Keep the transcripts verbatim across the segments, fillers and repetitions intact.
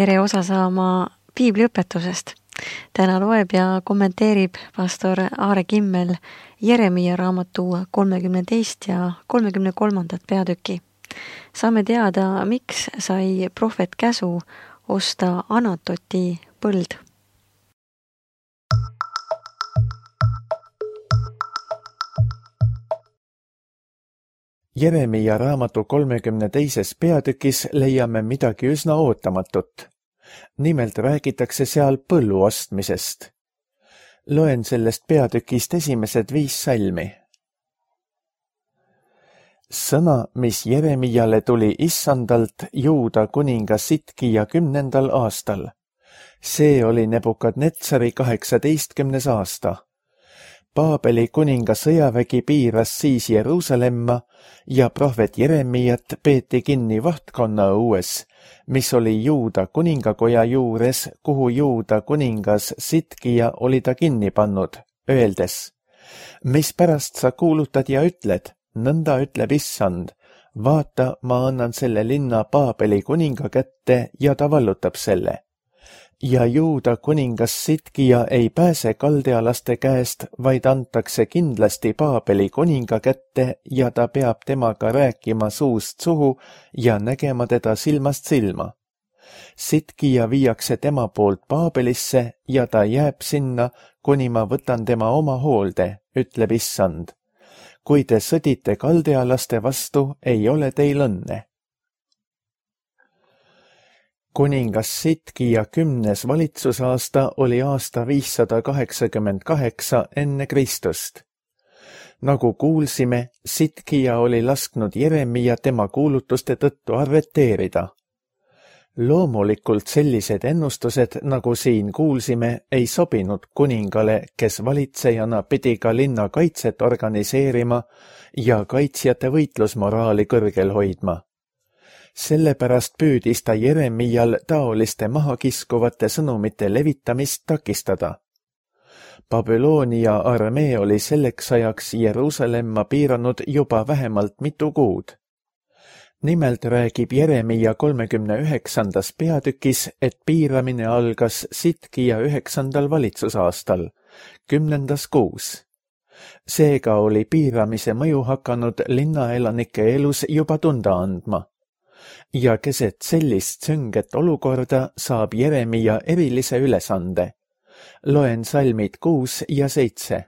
tere osa saama piibliõpetusest. Täna loeb ja kommenteerib pastor Aare Kimmel Jeremia raamatu kolmekümne teist ja kolmekümne kolmandat peatüki. Saame teada, miks sai prohvet käsu osta Anatoti põld. Jeremia raamatu kolmekümne teises peatükis leiame midagi üsna ootamatut. Nimelt räägitakse seal põllu ostmisest. Loen sellest peatükist esimesed viis salmi. Sõna, mis Jeremiale tuli Issandalt Juuda kuninga Sitkija kümnendal aastal. See oli Nebukadnetsari kaheksateistkümnes aasta. Paabeli kuninga sõjavägi piiras siis Jeruusalemma ja prohvet Jeremiat peeti kinni vahtkonna õues, mis oli Juuda kuningakoja juures, kuhu Juuda kuningas Sitkija oli ta kinni pannud, öeldes: mispärast sa kuulutad ja ütled, nõnda ütleb Issand, vaata, ma annan selle linna Paabeli kuninga kätte ja ta vallutab selle. Ja Juuda kuningas Sitkija ei pääse kaldealaste käest, vaid antakse kindlasti Paabeli kuninga kätte ja ta peab temaga rääkima suust suhu ja nägema teda silmast silma. Sitkija viiakse tema poolt Paabelisse ja ta jääb sinna, kuni ma võtan tema oma hoolde, ütleb Issand. Kui te sõdite kaldealaste vastu, ei ole teil õnne. Kuningas Sitkija kümnes valitsusaasta oli aasta viissada kaheksakümmend kaheksa enne Kristust. Nagu kuulsime, Sitkija oli lasknud Jeremia tema kuulutuste tõttu arreteerida. Loomulikult sellised ennustused, nagu siin kuulsime, ei sobinud kuningale, kes valitsejana pidi ka linna kaitset organiseerima ja kaitsjate võitlusmoraali kõrgel hoidma. Sellepärast püüdis ta Jeremial taoliste mahakiskuvate sõnumite levitamist takistada. Babyloonia armee oli selleks ajaks Jeruusalemma piiranud juba vähemalt mitu kuud. Nimelt räägib Jeremia kolmekümne üheksandas peatükis, et piiramine algas Sitkija üheksandal valitsusaastal, kümnendas kuus. Seega oli piiramise mõju hakanud linnaelanike elus juba tunda andma. Ja keset sellist sünget olukorda saab Jeremia erilise ülesande. Loen salmid kuus ja seitse.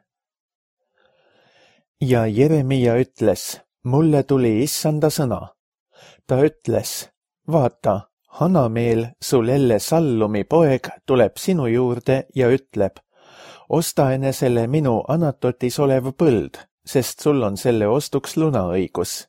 Ja Jeremia ütles, mulle tuli Issanda sõna. Ta ütles, vaata, Hanameel, sul elle Sallumi poeg, tuleb sinu juurde ja ütleb, osta enesele minu Anatotis olev põld, sest sul on selle ostuks lunaõigus.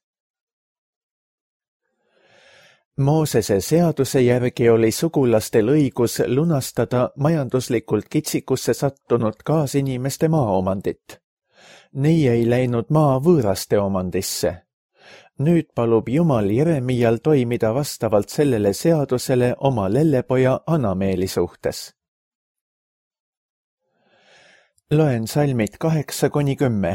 Moosese seaduse järgi oli sugulastel õigus lunastada majanduslikult kitsikusse sattunud kaasinimeste maaomandit. Nii ei läinud maa võõraste omandisse. Nüüd palub Jumal Jeremial toimida vastavalt sellele seadusele oma lellepoja Hanameeli suhtes. Loen salmid kaheksa kuni kümme.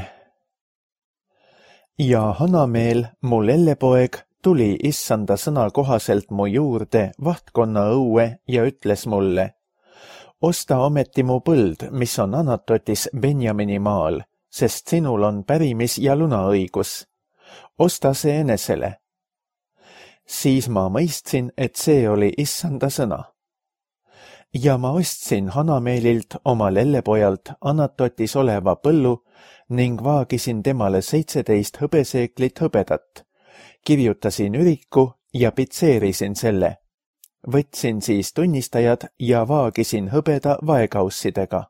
Ja Hanameel, mu lellepoeg, tuli Issanda sõna kohaselt mu juurde vahtkonna õue ja ütles mulle, osta ometi mu põld, mis on Anatotis Benjamini maal, sest sinul on pärimis- ja lunaõigus. Osta see enesele. Siis ma mõistsin, et see oli Issanda sõna. Ja ma ostsin Hanameelilt oma lellepojalt Anatotis oleva põllu ning vaagisin temale seitseteist hõbeseeklit hõbedat. Kirjutasin üriku ja pitseerisin selle. Võtsin siis tunnistajad ja vaagisin hõbeda vaekaussidega.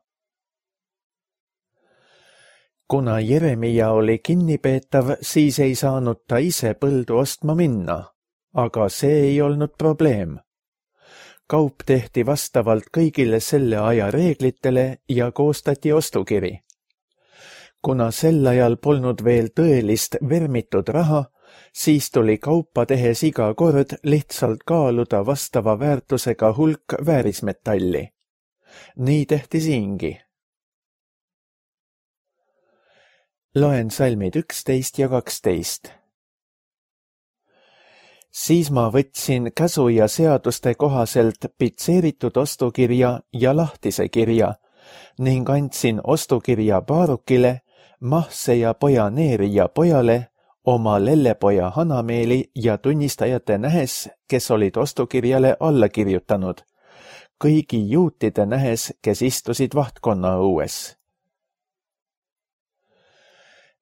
Kuna Jeremia oli kinnipeetav, siis ei saanud ta ise põldu ostma minna, aga see ei olnud probleem. Kaup tehti vastavalt kõigile selle aja reeglitele ja koostati ostukiri. Kuna sel ajal polnud veel tõelist vermitud raha, siis tuli kaupa tehes iga kord lihtsalt kaaluda vastava väärtusega hulk väärismetalli. Nii tehti siingi. Loen salmid üksteist ja kaksteist. Siis ma võtsin käsu ja seaduste kohaselt pitseeritud ostukirja ja lahtise kirja ning andsin ostukirja Baarukile, Mahse ja poja Neeri ja pojale, oma lellepoja Hanameeli ja tunnistajate nähes, kes olid ostukirjale alla kirjutanud, kõigi juutide nähes, kes istusid vahtkonna õues.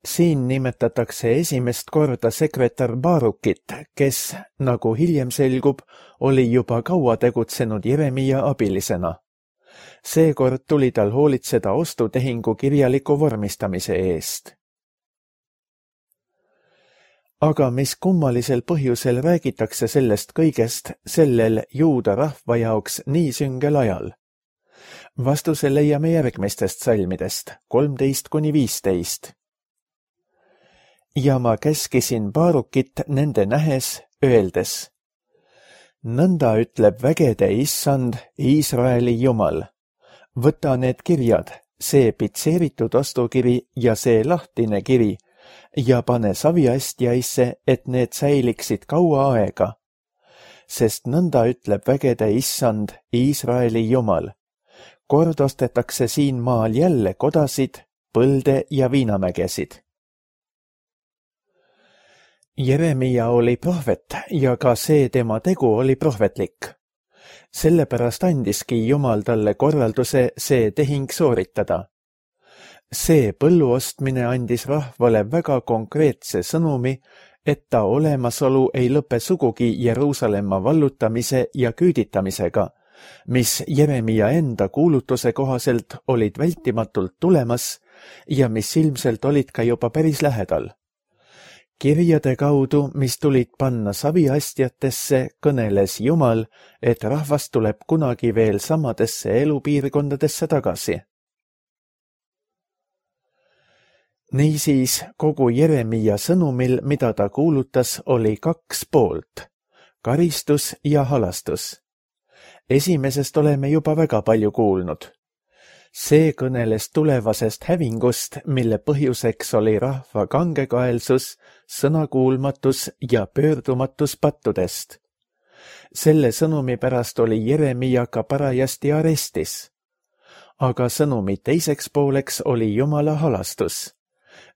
Siin nimetatakse esimest korda sekretär Baarukit, kes, nagu hiljem selgub, oli juba kaua tegutsenud Jeremia abilisena. Seekord tuli tal hoolitseda ostutehingu kirjaliku vormistamise eest. Aga mis kummalisel põhjusel räägitakse sellest kõigest sellel juuda rahva jaoks nii süngel ajal? Vastuse leiame järgmistest salmidest, kolmteist kuni viisteist. Ja ma käskisin Baarukit nende nähes, öeldes: nõnda ütleb vägede issand, Iisraeli jumal. Võta need kirjad, see pitseeritud ostukiri ja see lahtine kiri, ja pane saviastjaisse, et need säiliksid kaua aega. Sest nõnda ütleb vägede issand, Iisraeli jumal. Kord ostetakse siin maal jälle kodasid, põlde ja viinamägesid. Jeremia oli prohvet ja ka see tema tegu oli prohvetlik. Sellepärast andiski Jumal talle korralduse see tehing sooritada. See põllu ostmine andis rahvale väga konkreetse sõnumi, et ta olemasolu ei lõpe sugugi Jeruusalemma vallutamise ja küüditamisega, mis Jeremia enda kuulutuse kohaselt olid vältimatult tulemas ja mis ilmselt olid ka juba päris lähedal. Kirjade kaudu, mis tulid panna saviastjatesse, kõneles Jumal, et rahvas tuleb kunagi veel samadesse elupiirkondadesse tagasi. Niisiis, kogu Jeremia sõnumil, mida ta kuulutas, oli kaks poolt, karistus ja halastus. Esimesest oleme juba väga palju kuulnud. See kõneles tulevasest hävingust, mille põhjuseks oli rahva kangekaelsus, sõnakuulmatus ja pöördumatus pattudest. Selle sõnumi pärast oli Jeremia ka parajasti arestis. Aga sõnumi teiseks pooleks oli Jumala halastus.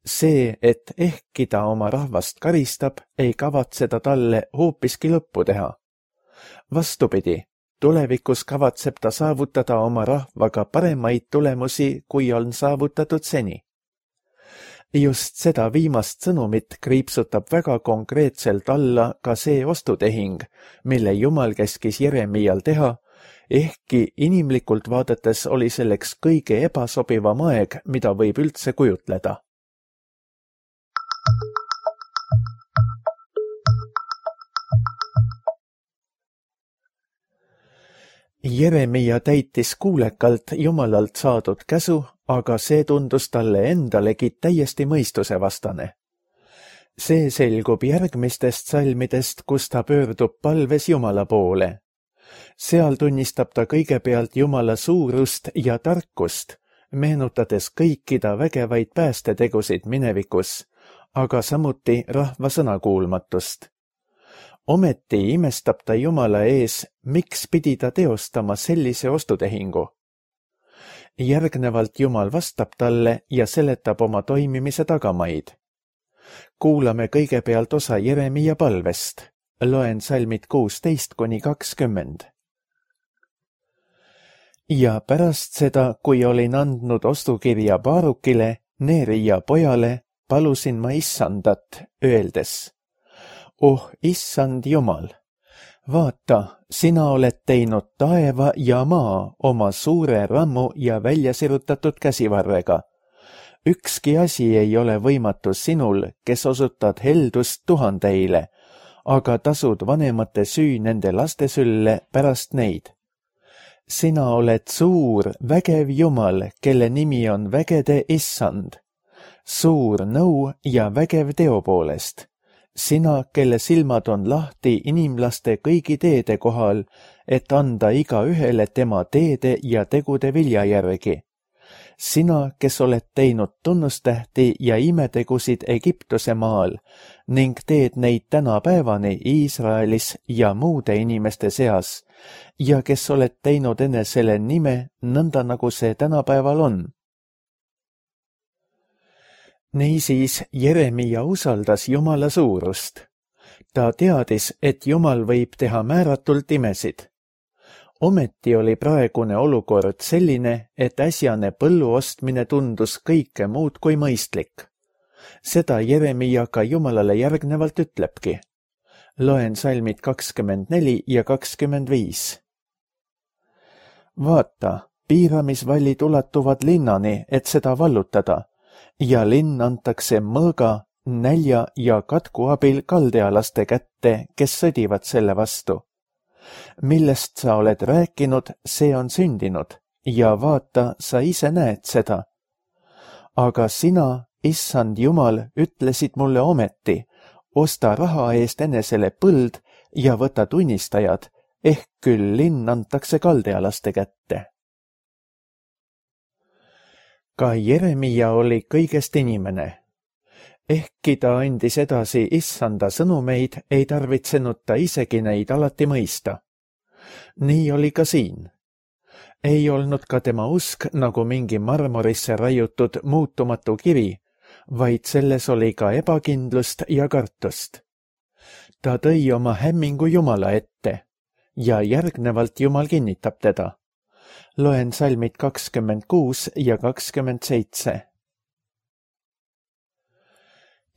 See, et ehkki ta oma rahvast karistab, ei kavatse ta talle hoopiski lõppu teha. Vastupidi, tulevikus kavatseb ta saavutada oma rahvaga paremaid tulemusi, kui on saavutatud seni. Just seda viimast sõnumit kriipsutab väga konkreetselt alla ka see ostutehing, mille Jumal käskis Jeremial teha, ehkki inimlikult vaadates oli selleks kõige ebasobivam aeg, mida võib üldse kujutleda. Jeremia täitis kuulekalt Jumalalt saadud käsu, aga see tundus talle endalegi täiesti mõistusevastane. See selgub järgmistest salmidest, kus ta pöördub palves Jumala poole. Seal tunnistab ta kõigepealt Jumala suurust ja tarkust, meenutades kõiki ta vägevaid päästetegusid minevikus, aga samuti rahva sõnakuulmatust. Ometi imestab ta Jumala ees, miks pidi ta teostama sellise ostutehingu. Järgnevalt Jumal vastab talle ja seletab oma toimimise tagamaid. Kuulame kõigepealt osa Jeremia palvest. Loen salmid kuusteist kuni kakskümmend. Ja pärast seda, kui olin andnud ostukirja Baarukile, Neeri ja pojale, palusin ma issandat, öeldes: Oh, issand Jumal, vaata, sina oled teinud taeva ja maa oma suure rammu ja väljasirutatud käsivarrega. Ükski asi ei ole võimatu sinul, kes osutad heldust tuhandeile, aga tasud vanemate süü nende laste sülle pärast neid. Sina oled suur, vägev Jumal, kelle nimi on vägede issand. Suur nõu ja vägev teo poolest. Sina, kelle silmad on lahti inimlaste kõigi teede kohal, et anda iga ühele tema teede ja tegude vilja järgi. sina, kes oled teinud tunnustähti ja imetegusid Egiptuse maal ning teed neid tänapäevani Iisraelis ja muude inimeste seas ja kes oled teinud enesele nime nõnda, nagu see tänapäeval on. Niisiis Jeremia usaldas Jumala suurust. Ta teadis, et Jumal võib teha määratult imesid. Ometi oli praegune olukord selline, et äsjane põllu ostmine tundus kõike muud kui mõistlik. Seda Jeremia ka Jumalale järgnevalt ütlebki. Loen salmid kakskümmend neli ja kakskümmend viis. Vaata, piiramisvallid ulatuvad linnani, et seda vallutada, ja linn antakse mõõga, nälja ja katku abil kaldealaste kätte, kes sõdivad selle vastu. Millest sa oled rääkinud, see on sündinud, ja vaata, sa ise näed seda. Aga sina, issand Jumal, ütlesid mulle ometi, osta raha eest enesele põld ja võta tunnistajad, ehk küll linn antakse kaldealaste kätte. Ka Jeremia oli kõigest inimene. Ehkki ta andis edasi issanda sõnumeid, ei tarvitsenud ta isegi neid alati mõista. Nii oli ka siin. Ei olnud ka tema usk nagu mingi marmorisse raiutud muutumatu kivi, vaid selles oli ka ebakindlust ja kartust. Ta tõi oma hämmingu Jumala ette ja järgnevalt Jumal kinnitab teda. Loen salmid kakskümmend kuus ja kakskümmend seitse.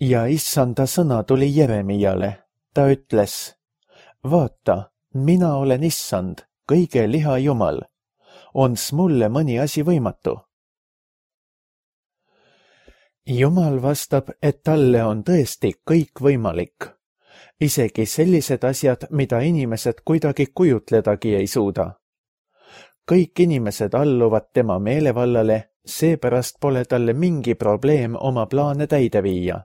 Ja issanda sõna tuli Jeremiale. Ta ütles, vaata, mina olen issand, kõige liha Jumal. Ons mulle mõni asi võimatu? Jumal vastab, et talle on tõesti kõik võimalik. Isegi sellised asjad, mida inimesed kuidagi kujutledagi ei suuda. Kõik inimesed alluvad tema meelevallale, seepärast pole talle mingi probleem oma plaane täide viia.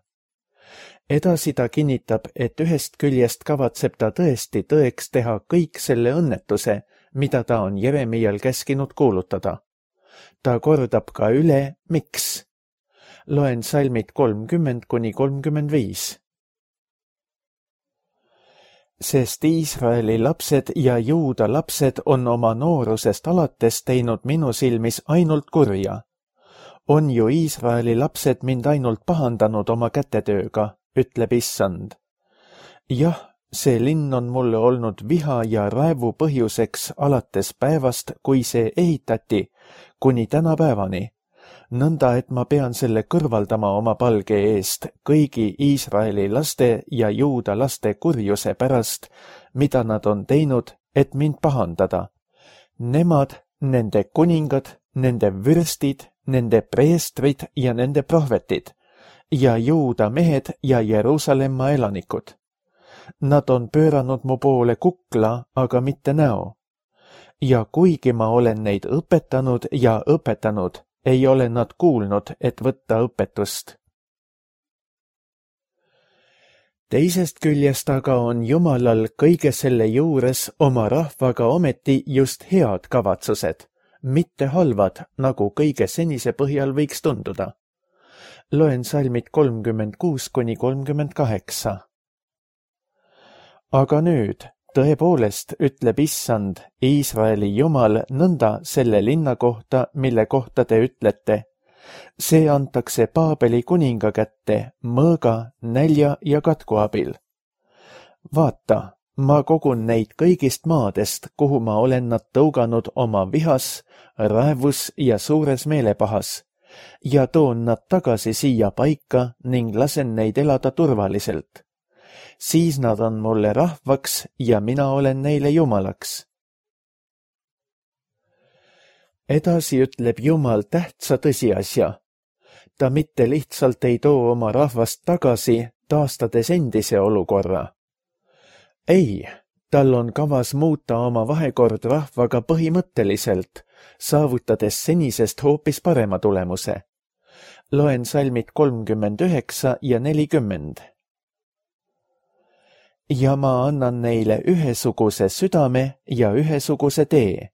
Edasi ta kinnitab, et ühest küljest kavatseb ta tõesti tõeks teha kõik selle õnnetuse, mida ta on Jeremial käskinud kuulutada. Ta kordab ka üle, miks. Loen salmid kolmkümmend kuni kolmkümmend viis. Sest Iisraeli lapsed ja Juuda lapsed on oma noorusest alates teinud minu silmis ainult kurja. On ju Iisraeli lapsed mind ainult pahandanud oma kätetööga, ütleb issand. Jah, see linn on mulle olnud viha ja raevu põhjuseks alates päevast, kui see ehitati, kuni tänapäevani, nõnda et ma pean selle kõrvaldama oma palge eest kõigi Iisraeli laste ja Juuda laste kurjuse pärast, mida nad on teinud, et mind pahandada. Nemad, nende kuningad, nende vürstid, nende preestrid ja nende prohvetid, ja Juuda mehed ja Jeruusalemma elanikud. Nad on pööranud mu poole kukla, aga mitte näo. Ja kuigi ma olen neid õpetanud ja õpetanud, ei ole nad kuulnud, et võtta õpetust. Teisest küljest aga on Jumalal kõige selle juures oma rahvaga ometi just head kavatsused, mitte halvad, nagu kõige senise põhjal võiks tunduda. Loen salmid kolmkümmend kuus kuni kolmkümmend kaheksa. Aga nüüd, tõepoolest, ütleb issand, Iisraeli Jumal, nõnda selle linna kohta, mille kohta te ütlete. See antakse Paabeli kuninga kätte mõõga, nälja ja katku abil. Vaata, ma kogun neid kõigist maadest, kuhu ma olen nad tõuganud oma vihas, raevus ja suures meelepahas, ja toon nad tagasi siia paika ning lasen neid elada turvaliselt. Siis nad on mulle rahvaks ja mina olen neile Jumalaks. Edasi ütleb Jumal tähtsa tõsiasja. Ta mitte lihtsalt ei too oma rahvast tagasi, taastades endise olukorra. Ei, tal on kavas muuta oma vahekord rahvaga põhimõtteliselt, saavutades senisest hoopis parema tulemuse. Loen salmid kolmkümmend üheksa ja nelikümmend. Ja ma annan neile ühesuguse südame ja ühesuguse tee,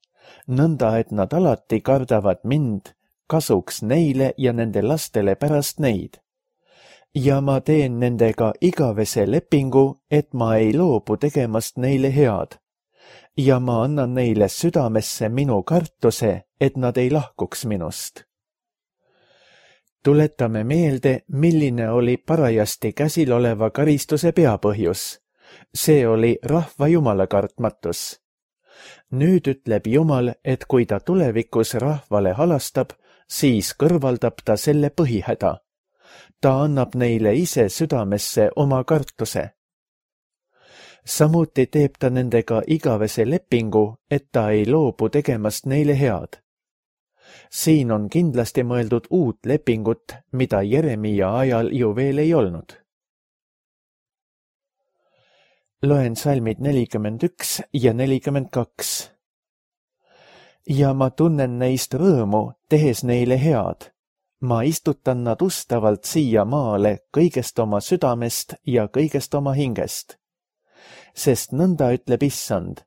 nõnda et nad alati kardavad mind, kasuks neile ja nende lastele pärast neid. Ja ma teen nendega igavese lepingu, et ma ei loobu tegemast neile head. Ja ma annan neile südamesse minu kartuse, et nad ei lahkuks minust. Tuletame meelde, milline oli parajasti käsil oleva karistuse peapõhjus. See oli rahva Jumala kartmatus. Nüüd ütleb Jumal, et kui ta tulevikus rahvale halastab, siis kõrvaldab ta selle põhihäda. Ta annab neile ise südamesse oma kartuse. Samuti teeb ta nendega igavese lepingu, et ta ei loobu tegemast neile head. Siin on kindlasti mõeldud uut lepingut, mida Jeremia ajal ju veel ei olnud. Loen salmid nelikümmend üks ja nelikümmend kaks. Ja ma tunnen neist rõõmu, tehes neile head. Ma istutan nad ustavalt siia maale kõigest oma südamest ja kõigest oma hingest. Sest nõnda ütleb Issand,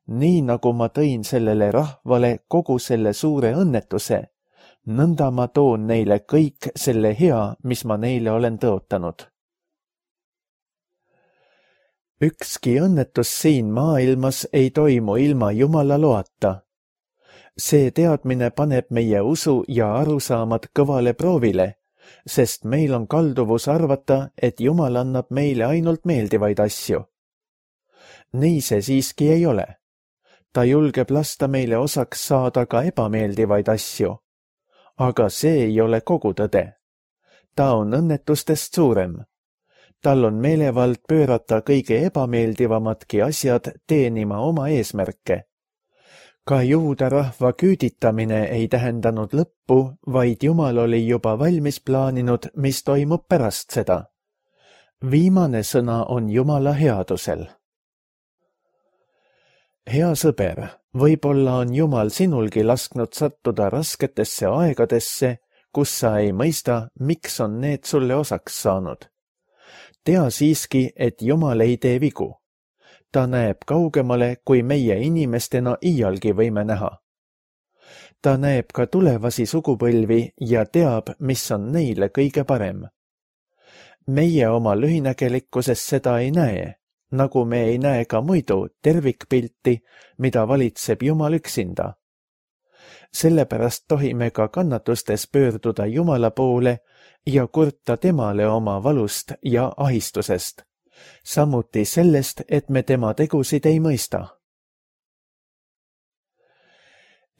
nii nagu ma tõin sellele rahvale kogu selle suure õnnetuse, nõnda ma toon neile kõik selle hea, mis ma neile olen tõotanud. Ükski õnnetus siin maailmas ei toimu ilma Jumala loata. See teadmine paneb meie usu ja arusaamad kõvale proovile, sest meil on kalduvus arvata, et Jumal annab meile ainult meeldivaid asju. Nii see siiski ei ole. Ta julgeb lasta meile osaks saada ka ebameeldivaid asju. Aga see ei ole kogu tõde. Ta on õnnetustest suurem. Tal on meelevald pöörata kõige ebameeldivamadki asjad teenima oma eesmärke. Ka juuda rahva küüditamine ei tähendanud lõppu, vaid Jumal oli juba valmis plaaninud, mis toimub pärast seda. Viimane sõna on Jumala headusel. Hea sõber, võib-olla on Jumal sinulgi lasknud sattuda rasketesse aegadesse, kus sa ei mõista, miks on need sulle osaks saanud. Tea siiski, et Jumal ei tee vigu. Ta näeb kaugemale, kui meie inimestena iialgi võime näha. Ta näeb ka tulevasi sugupõlvi ja teab, mis on neile kõige parem. Meie oma lühinägelikkuses seda ei näe, nagu me ei näe ka muidu tervikpilti, mida valitseb Jumal üksinda. Sellepärast tohime ka kannatustes pöörduda Jumala poole ja kurta temale oma valust ja ahistusest. Samuti sellest, et me tema tegusid ei mõista.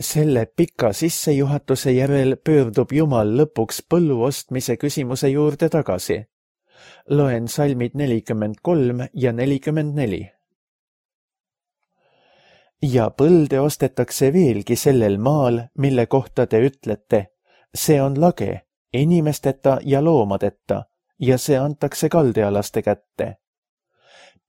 Selle pika sissejuhatuse järel pöördub Jumal lõpuks põllu ostmise küsimuse juurde tagasi. Loen salmid nelikümmend kolm ja nelikümmend neli. Ja põlde ostetakse veelgi sellel maal, mille kohta te ütlete, see on lage, inimesteta ja loomadeta, ja see antakse kaldealaste kätte.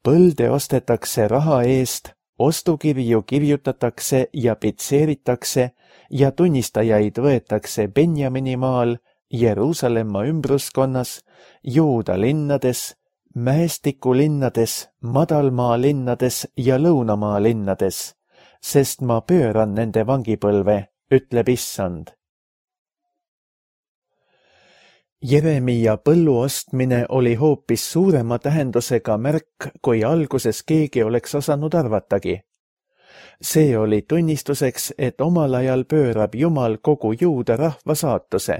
Põlde ostetakse raha eest, ostukirju kirjutatakse ja pitseeritakse ja tunnistajaid võetakse Benjamini maal, Jeruusalemma ümbruskonnas, Juuda linnades, Mäestiku linnades, Madalmaa linnades ja Lõunamaa linnades, sest ma pööran nende vangipõlve, ütleb Issand. Jeremia põllu ostmine oli hoopis suurema tähendusega märk, kui alguses keegi oleks osanud arvatagi. See oli tunnistuseks, et omal ajal pöörab Jumal kogu juuda rahva saatuse.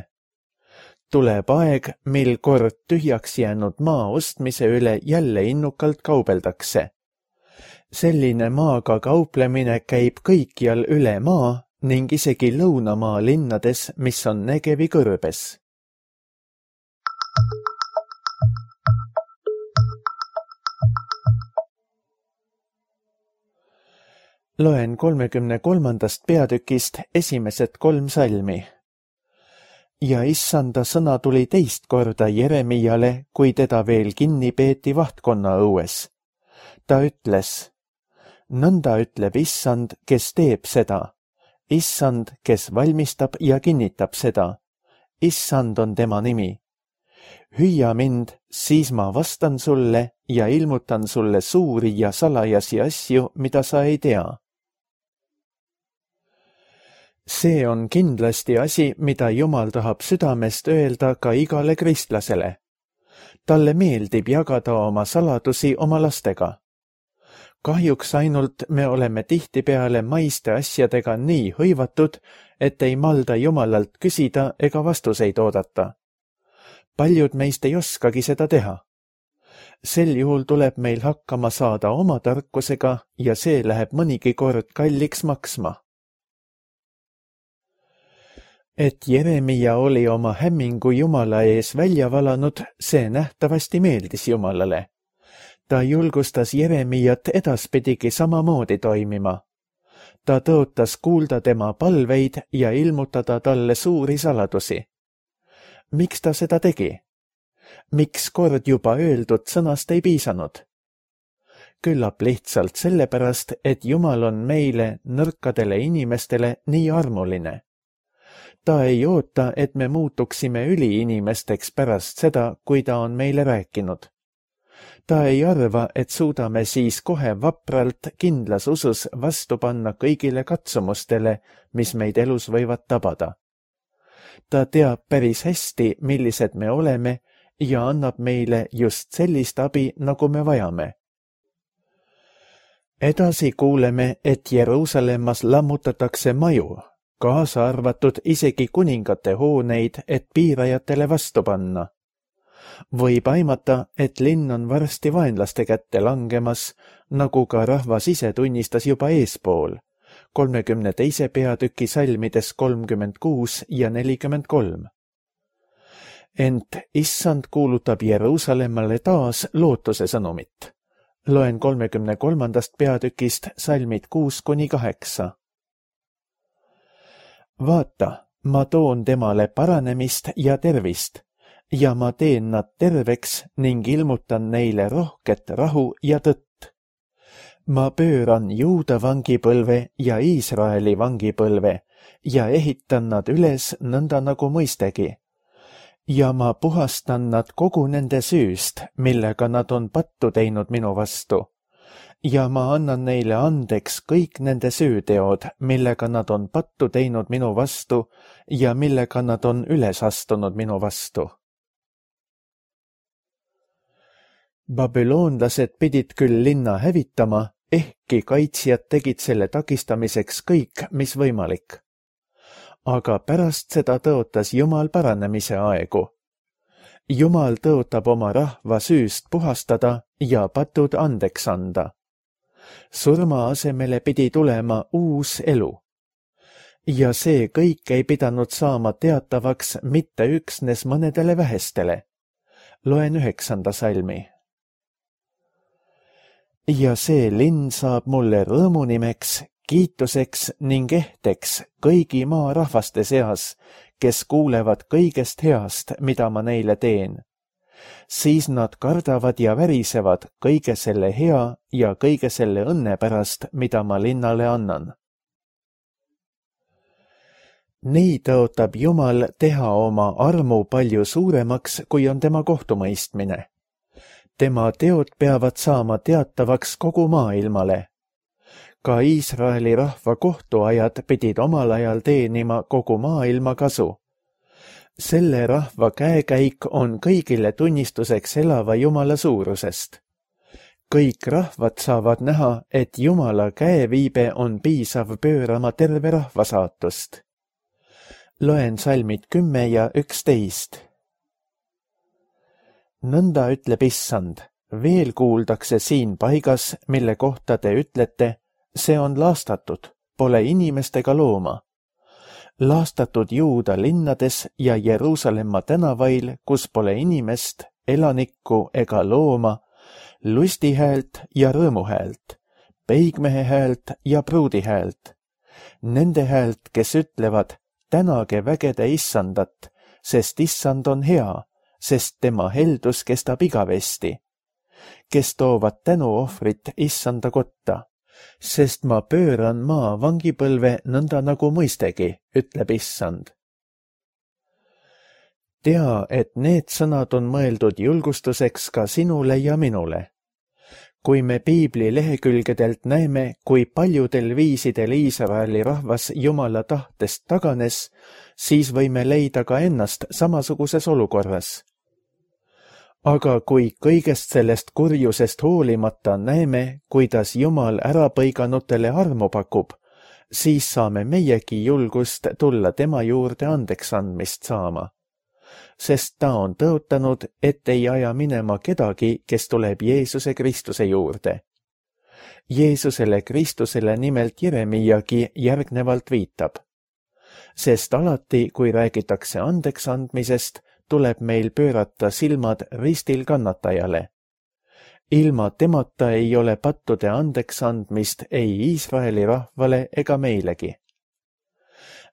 Tuleb aeg, mil kord tühjaks jäänud maa ostmise üle jälle innukalt kaubeldakse. Selline maaga kauplemine käib kõikjal üle maa ning isegi Lõunamaa linnades, mis on Negevi kõrbes. Loen kolmekümne kolmandast peatükist esimesed kolm salmi. Ja Issanda sõna tuli teist korda Jeremiale, kui teda veel kinni peeti vahtkonna õues. Ta ütles, nõnda ütleb Issand, kes teeb seda. Issand, kes valmistab ja kinnitab seda. Issand on tema nimi. Hüüa mind, siis ma vastan sulle ja ilmutan sulle suuri ja salajasi asju, mida sa ei tea. See on kindlasti asi, mida Jumal tahab südamest öelda ka igale kristlasele. Talle meeldib jagada oma saladusi oma lastega. Kahjuks ainult me oleme tihtipeale maiste asjadega nii hõivatud, et ei malda Jumalalt küsida ega vastuseid oodata. Paljud meist ei oskagi seda teha. Sel juhul tuleb meil hakkama saada oma tarkusega ja see läheb mõnigi kord kalliks maksma. Et Jeremia oli oma hämmingu Jumala ees välja valanud, see nähtavasti meeldis Jumalale. Ta julgustas Jeremiat edaspidigi samamoodi toimima. Ta tõotas kuulda tema palveid ja ilmutada talle suuri saladusi. Miks ta seda tegi? Miks kord juba öeldud sõnast ei piisanud? Küllap lihtsalt sellepärast, et Jumal on meile, nõrkadele inimestele, nii armuline. Ta ei oota, et me muutuksime üliinimesteks pärast seda, kui ta on meile rääkinud. Ta ei arva, et suudame siis kohe vapralt kindlas usus vastu panna kõigile katsumustele, mis meid elus võivad tabada. Ta teab päris hästi, millised me oleme ja annab meile just sellist abi, nagu me vajame. Edasi kuuleme, et Jeruusalemmas lammutatakse maju, kaasa arvatud isegi kuningate hooneid, et piirajatele vastu panna. Võib aimata, et linn on varsti vaenlaste kätte langemas, nagu ka rahvas ise tunnistas juba eespool, kolmekümne teise peatüki salmides kolmkümmend kuus ja nelikümmend kolm. Ent issand kuulutab Jeruusalemmale taas lootuse sõnumit. Loen kolmekümne kolmandast peatükist salmid kuus kuni kaheksa. Vaata, ma toon temale paranemist ja tervist, ja ma teen nad terveks ning ilmutan neile rohket rahu ja tõtt. Ma pööran Juuda vangipõlve ja Iisraeli vangipõlve ja ehitan nad üles nõnda nagu mõistegi. Ja ma puhastan nad kogu nende süüst, millega nad on pattu teinud minu vastu. Ja ma annan neile andeks kõik nende süüteod, millega nad on pattu teinud minu vastu ja millega nad on üles astunud minu vastu. Babüloonlased pidid küll linna hävitama, ehkki kaitsjad tegid selle takistamiseks kõik, mis võimalik. Aga pärast seda tõotas Jumal paranemise aegu. Jumal tõotab oma rahva süüst puhastada ja patud andeks anda. Surma asemele pidi tulema uus elu. Ja see kõik ei pidanud saama teatavaks mitte üksnes mõnedele vähestele. Loen üheksanda salmi. Ja see linn saab mulle rõõmunimeks, kiituseks ning ehteks kõigi maa rahvaste seas, kes kuulevad kõigest heast, mida ma neile teen. Siis nad kardavad ja värisevad kõige selle hea ja kõige selle õnne pärast, mida ma linnale annan. Nii tõotab Jumal teha oma armu palju suuremaks, kui on tema kohtumõistmine. Tema teod peavad saama teatavaks kogu maailmale. Ka Iisraeli rahva kohtuajad pidid omal ajal teenima kogu maailma kasu. Selle rahva käekäik on kõigile tunnistuseks elava Jumala suurusest. Kõik rahvad saavad näha, et Jumala käeviibe on piisav pöörama terve rahva saatust. Loen salmid kümme ja üksteist. Nõnda ütleb issand, veel kuuldakse siin paigas, mille kohta te ütlete, see on laastatud, pole inimestega looma. Laastatud Juuda linnades ja Jeruusalemma tänavail, kus pole inimest, elanikku ega looma, lustihäält ja rõõmuhäält, peigmehe häält ja pruudi häält. Nende häält, kes ütlevad, tänage vägede issandat, sest issand on hea, sest tema heldus kestab igavesti, kes toovad tänuohvrit issanda kotta, sest ma pööran maa vangipõlve nõnda nagu mõistegi, ütleb issand. Tea, et need sõnad on mõeldud julgustuseks ka sinule ja minule. kui me piibli lehekülgedelt näeme, kui paljudel viisidel Iisraeli rahvas Jumala tahtest taganes, siis võime leida ka ennast samasuguses olukorras. Aga kui kõigest sellest kurjusest hoolimata näeme, kuidas Jumal ärapõiganutele armu pakub, siis saame meiegi julgust tulla tema juurde andeks andmist saama. Sest ta on tõotanud, et ei aja minema kedagi, kes tuleb Jeesuse Kristuse juurde. Jeesusele Kristusele nimelt Jeremiagi järgnevalt viitab. Sest alati, kui räägitakse andeks andmisest, tuleb meil pöörata silmad ristil kannatajale. Ilma temata ei ole pattude andeks andmist ei Iisraeli rahvale ega meilegi.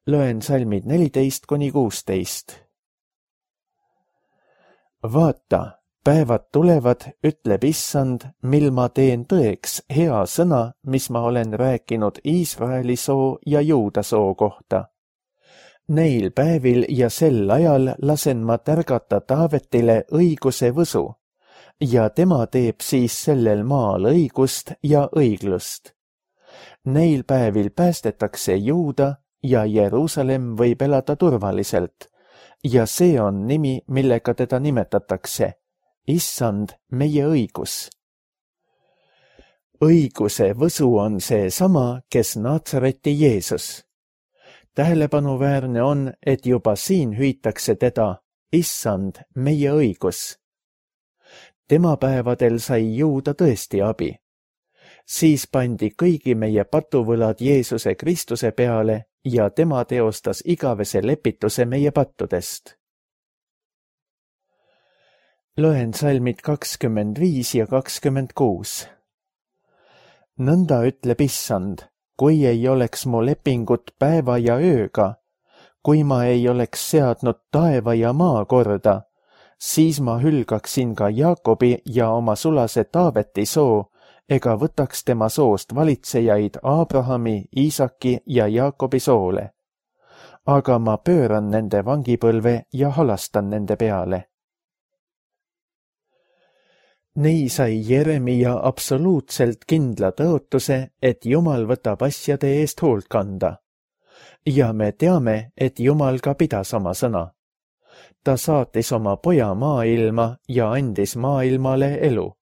Loen salmid neliteist kuni kuusteist. Vaata, päevad tulevad, ütleb Issand, mil ma teen tõeks hea sõna, mis ma olen rääkinud Iisraeli soo ja Juuda soo kohta. Neil päevil ja sel ajal lasen ma tärgata Taavetile õiguse võsu ja tema teeb siis sellel maal õigust ja õiglust. Neil päevil päästetakse Juuda ja Jeruusalemm võib elada turvaliselt ja see on nimi, millega teda nimetatakse. Issand, meie õigus. Õiguse võsu on see sama, kes Naatsareti Jeesus. Tähelepanuväärne on, et juba siin hüütakse teda, Issand, meie õigus. Tema päevadel sai Juuda tõesti abi. Siis pandi kõigi meie patuvõlad Jeesuse Kristuse peale ja tema teostas igavese lepituse meie pattudest. Loen salmid kakskümmend viis ja kakskümmend kuus. Nõnda ütleb Issand, kui ei oleks mu lepingut päeva ja ööga, kui ma ei oleks seadnud taeva ja maa korda, siis ma hülgaksin ka Jaakobi ja oma sulase Taaveti soo, ega võtaks tema soost valitsejaid Abrahami, Iisaki ja Jaakobi soole. Aga ma pööran nende vangipõlve ja halastan nende peale. Nii sai Jeremia absoluutselt kindla tõotuse, et Jumal võtab asjade eest hoolt kanda. Ja me teame, et Jumal ka pidas oma sõna. Ta saatis oma poja maailma ja andis maailmale elu.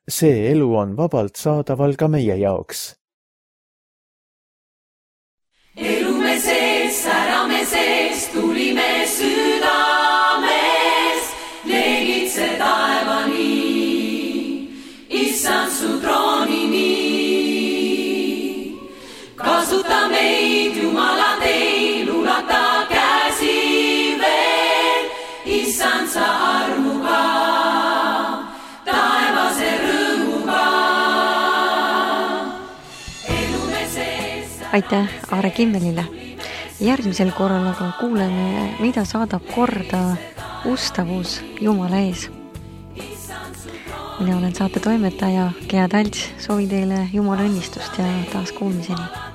See elu on vabalt saadaval ka meie jaoks. Elume sees, särame sees, tulime südames, leegitse taevani. Issand su troonini, kasuta meid, Jumala teil, ulata käsi veel, Issand sa armuga, taevase rõõmuga. Aitäh Aare Kimmelile. Järgmisel korral aga kuuleme, mida saadab korda ustavus Jumala ees. Mina olen saate toimetaja Gea Talts, soovin teile Jumala õnnistust ja taas kuulmiseni.